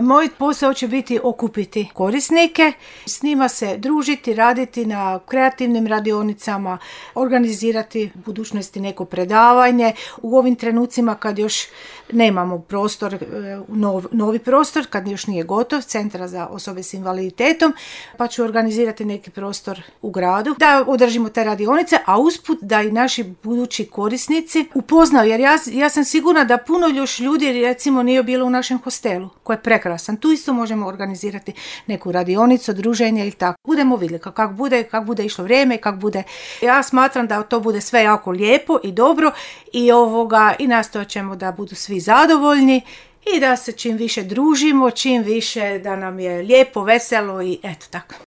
Moj posao će biti okupiti korisnike, s njima se družiti, raditi na kreativnim radionicama, organizirati u budućnosti neko predavanje. U ovim trenucima kad još nemamo prostor, novi prostor, kad još nije gotov, Centra za osobe s invaliditetom, pa ću organizirati neki prostor u gradu da održimo te radionice, a usput da i naši budući korisnici upoznaju, jer ja sam sigurna da puno još ljudi recimo nije bilo u našem hostelu, koji je prekrasan. Tu isto možemo organizirati neku radionicu, druženje ili tako. Budemo vidjeli kako bude išlo vrijeme, kako bude. Ja smatram da to bude sve jako lijepo i dobro i nastojat ćemo da budu svi zadovoljni i da se čim više družimo, čim više da nam je lijepo, veselo i eto tako.